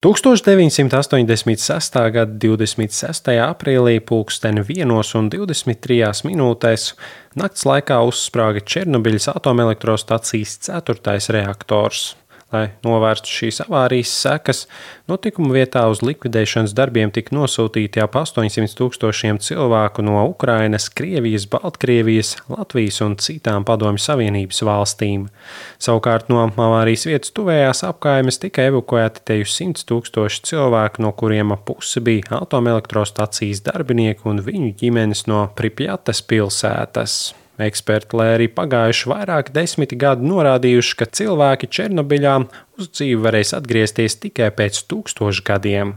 1986. gada 26. aprīlī pulksten 1:23 nakts laikā uzsprāga Černobiļas atomelektrostacijas 4. reaktors. Lai novērstu šīs avārijas sekas, notikuma vietā uz likvidēšanas darbiem tika nosūtīti ap 800,000 cilvēku no Ukrainas, Krievijas, Baltkrievijas, Latvijas un citām Padomju Savienības valstīm. Savukārt no avārijas vietas tuvējās apkaimes tika evakuēti teju 100,000 cilvēku, no kuriem ap pusi bija atomelektrostacijas darbinieki un viņu ģimenes no Pripjates pilsētas. Eksperti, lai arī pagājuši vairāki desmiti gadi, norādījuši, ka cilvēki Černobiļā uz dzīvi varēs atgriezties tikai pēc 1000 gadiem.